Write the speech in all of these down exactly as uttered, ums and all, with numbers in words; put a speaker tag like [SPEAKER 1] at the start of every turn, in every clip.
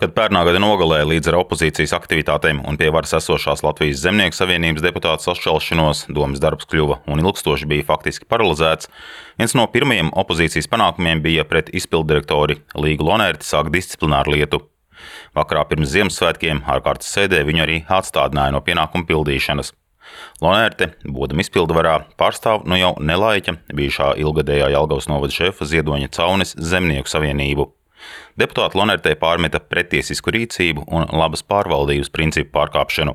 [SPEAKER 1] Kad pērnā gada nogalē līdz ar opozīcijas aktivitātēm un pie varas esošās Latvijas Zemnieku savienības deputātu sašķelšanos domas darbs kļuva un ilgstoši bija faktiski paralizēts, viens no pirmajiem opozīcijas panākumiem bija pret izpilddirektori Līgu Lonerti sākt disciplināru lietu. Vakarā pirms Ziemassvētkiem ārkārtas sēdē viņu arī atstādināja no pienākumu pildīšanas. Lonerte, būdama izpildvarā, pārstāv no jau nelaiķa bijušā ilgadējā Jelgavas novada šefa Ziedoņa Caunes Zemnieku savienību. Deputāti Lonertei pārmeta pretiesisku rīcību un labas pārvaldības principu pārkāpšanu.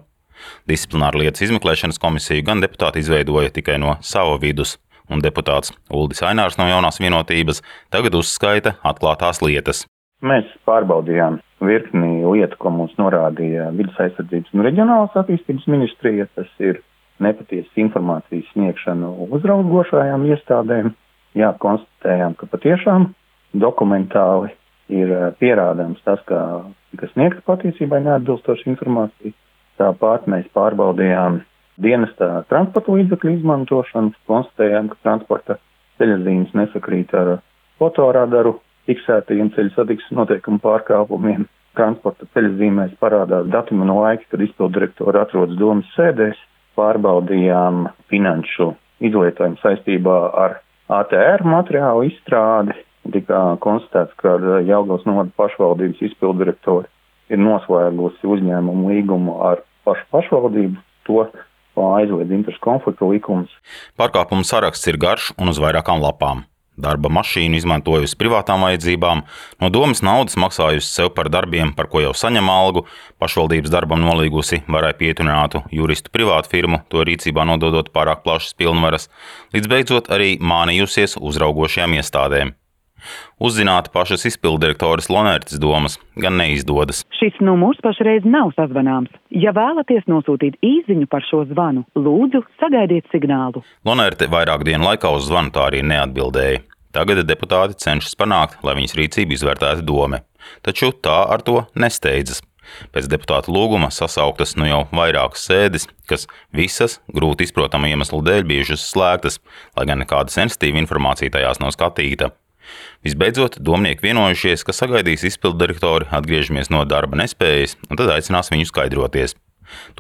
[SPEAKER 1] Disciplināru lietas izmeklēšanas komisiju gan deputāti izveidoja tikai no sava vidus, un deputāts Uldis Ainārs no Jaunās vienotības tagad uzskaita atklātās lietas.
[SPEAKER 2] Mēs pārbaudījām virkni lietu, ko mums norādīja Vides aizsardzības un reģionālās attīstības ministrija. Tas ir nepatiesas informācijas sniegšana uzraugošajām iestādēm. Jā, konstatējām, ka patiešām dokumentāli ir pierādāms tas, ka tika sniegta patiesībai neatbilstoša informācija. Tāpat mēs pārbaudījām dienestā transporta līdzekļu izmantošanu, konstatējām, ka transporta ceļazīmes nesakrīt ar fotoradaru fiksētajiem ceļu satiksmes noteikumu pārkāpumiem. Transporta ceļazīmēs parādās datumi no laika, kad izpilddirektori atrodas domas sēdēs. Pārbaudījām finanšu izlietojumu saistībā ar A T R materiālu izstrādi. Tika konstatēts, ka Jelgavas novada pašvaldības izpilddirektori ir noslēgusi uzņēmumu līgumu ar pašu pašvaldību. To aizliedz interešu konflikta likums.
[SPEAKER 1] Pārkāpumu saraksts ir garš un uz vairākām lapām. Darba mašīnu izmantojusi privātām vajadzībām, no domas naudas maksājusi sev par darbiem, par ko jau saņem algu, pašvaldības darbam nolīgusi varai pietuninātu juristu privātu firmu, to rīcībā nododot pārāk plašas pilnvaras, līdz beidzot arī mānījusies uzraugošajām iestādēm. Uzzināt pašas izpilddirektoras Lonertes domas gan neizdodas.
[SPEAKER 3] Šis numurs pašreiz nav sazvanāms. Ja vēlaties nosūtīt īsziņu par šo zvanu, lūdzu sagaidiet signālu.
[SPEAKER 1] Lonerte vairāk dienu laikā uz zvanu tā arī neatbildēja. Tagad deputāti cenšas panākt, lai viņas rīcību izvērtētu dome. Taču tā ar to nesteidzas. Pēc deputātu lūguma sasauktas nu jau vairākas sēdes, kas visas grūti izprotama iemeslu dēļ bijušas slēgtas, lai gan nekāda sensitīva informācija tajās nav skatīta. Visbeidzot, domnieki vienojušies, ka sagaidīs izpilddirektori atgriežamies no darba nespējas un tad aicinās viņu skaidroties.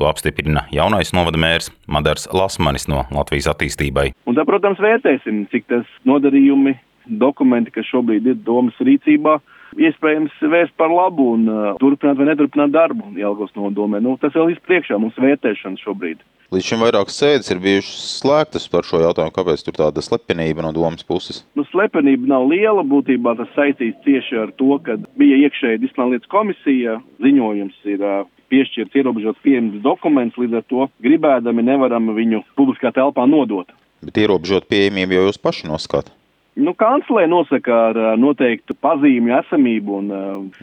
[SPEAKER 1] To apstiprina jaunais novada mērs Madars Lasmanis no Latvijas attīstībai.
[SPEAKER 4] Un tā, protams, vērtēsim, cik tas nodarījumi, dokumenti, kas šobrīd ir domas rīcībā, iespējams vērst par labu un uh, turpināt vai neturpināt darbu Jelgavas novada domē. Nu, tas vēl izpriekšā mums vērtēšana šobrīd.
[SPEAKER 5] Līdz šim vairākas sēdes ir bijušas slēgtas par šo jautājumu, kāpēc tur tāda slepenība no domas puses?
[SPEAKER 4] Nu, slepenība nav liela, būtībā tas saistīts tieši ar to, ka bija iekšēja disciplināra lietas komisija, ziņojums ir uh, piešķirts ierobežots pieejams dokuments, līdz ar to gribēdami nevaram viņu publiskā telpā nodot.
[SPEAKER 5] Bet ierobežot pieejamību jau jūs paši noskatāt?
[SPEAKER 4] Nu, kanclē nosaka ar noteiktu pazīmju esamību un...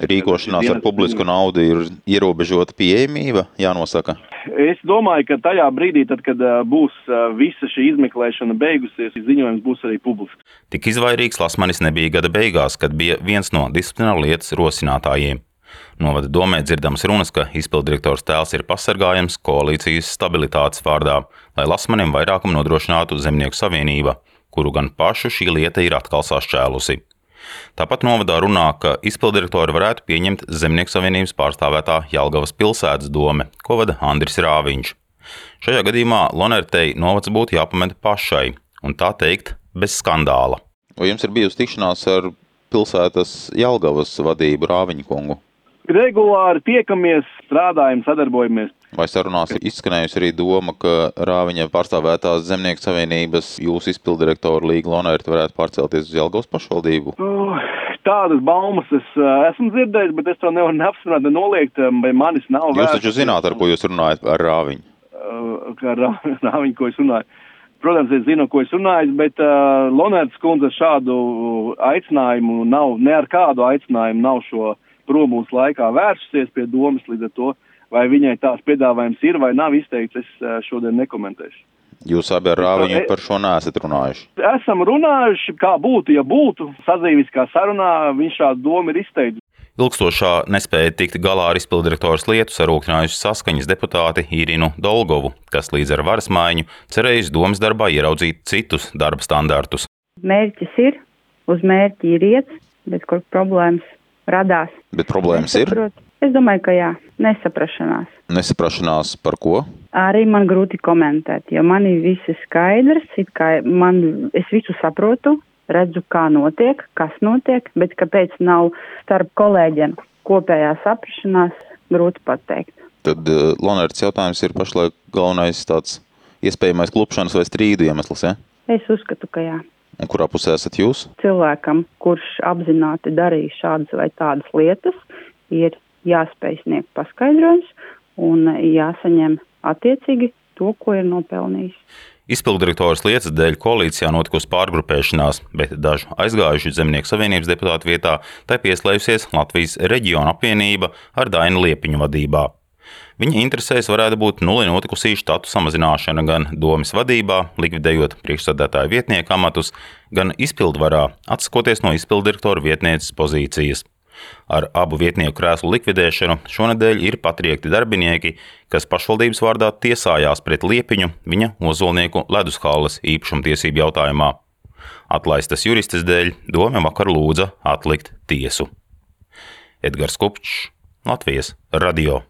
[SPEAKER 5] Rīkošanās ar publisku naudu ir ierobežota pieejamība, jānosaka?
[SPEAKER 4] Es domāju, ka tajā brīdī, tad, kad būs visa šī izmeklēšana beigusies, ziņojums būs arī publisks.
[SPEAKER 1] Tik izvairīgs Lasmanis nebija gada beigās, kad bija viens no disciplināru lietas rosinātājiem. Novada domē dzirdams runas, ka izpilddirektors tēls ir pasargājams koalīcijas stabilitātes vārdā, lai Lasmanim vairākumu nodrošinātu Zemnieku savienība, kuru gan pašu šī lieta ir atkal sašķēlusi. Tāpat novadā runā, ka izpilddirektori varētu pieņemt Zemnieku savienības pārstāvētā Jelgavas pilsētas dome, ko vada Andris Rāviņš. Šajā gadījumā Lonertei novads būtu jāpameta pašai, un tā teikt, bez skandāla.
[SPEAKER 5] Vai jums ir bijusi tikšanās ar pilsētas Jelgavas vadību Rāviņu kungu?
[SPEAKER 4] Regulāri tiekamies, strādājam, sadarbojamies.
[SPEAKER 5] Vai sarunās izskanējusi arī doma, ka Rāviņa pārstāvētās Zemnieku savienības jūsu izpilddirektoru Līgu Lonerti varētu pārcelties uz Jelgavas pašvaldību?
[SPEAKER 4] Uh, tādas baumas es uh, esmu dzirdējis, bet es to nevaru neapstiprināt, noliegt, vai manis nav
[SPEAKER 5] vērts. Jūs taču zināt, ar ko jūs runājat ar Rāviņu?
[SPEAKER 4] Uh, ar Rāviņu, ko es runāju. Protams, es zinu, ko es runāju, bet uh, Lonertes kundze šādu aicinājumu nav, ne ar kādu aicinājumu nav šo prom mūsu laikā vērsusies pie domas, līdz ar to, vai viņai tās piedāvājums ir vai nav izteikts, es šodien nekomentēšu.
[SPEAKER 5] Jūs abi ar Rāviņu par šo neesat runājuši?
[SPEAKER 4] Esam runājuši, kā būtu, ja būtu. Sadzīviskā sarunā viņš šādu domu ir izteicis.
[SPEAKER 1] Ilgstošā nespēja tikt galā ar izpilddirektoras lietu sarūktinājuši Saskaņas deputāti Irinu Dolgovu, kas līdz ar varas maiņu cerējusi domas darbā ieraudzīt citus darba standartus.
[SPEAKER 6] Mērķis ir, uz mērķi ir iet, bet kur problēmas radās.
[SPEAKER 5] Bet problēmas ir?
[SPEAKER 6] Es domāju, ka jā, nesaprašanās.
[SPEAKER 5] Nesaprašanās par ko?
[SPEAKER 6] Arī man grūti komentēt, jo man ir visi skaidrs, it kā man, es visu saprotu, redzu, kā notiek, kas notiek, bet kāpēc nav starp kolēģiem kopējā saprašanās, grūti pateikt.
[SPEAKER 5] Tad uh, Lonērts jautājums ir pašlaik galvenais tāds iespējamais klupšanas vai strīdu iemesls, ja?
[SPEAKER 6] Es uzskatu, ka jā.
[SPEAKER 5] Un kurā pusē esat jūs?
[SPEAKER 6] Cilvēkam, kurš apzināti darīja šādas vai tādas lietas, ir jāspēj sniegt paskaidrojums un jāsaņem attiecīgi to, ko ir nopelnījis.
[SPEAKER 1] Izpilddirektoras lietas dēļ koalīcijā notikusi pārgrupēšanās, bet dažu aizgājuši Zemnieku savienības deputātu vietā tai pieslējusies Latvijas reģiona apvienība ar Dainu Liepiņu vadībā. Viņa interesēs varētu būt nulli notikusī štatu samazināšana gan domes vadībā, likvidējot priekšsēdētāju vietnieku amatus, gan izpildvarā, atsakoties no izpilddirektora vietnieces pozīcijas. Ar abu vietnieku krēslu likvidēšanu šonedēļ ir patriekti darbinieki, kas pašvaldības vārdā tiesājās pret Liepiņu viņa Ozolnieku ledushalles īpašumtiesību jautājumā. Atlaistas juristes dēļ dome vakar lūdza atlikt tiesu. Edgars Kupčs, Latvijas radio.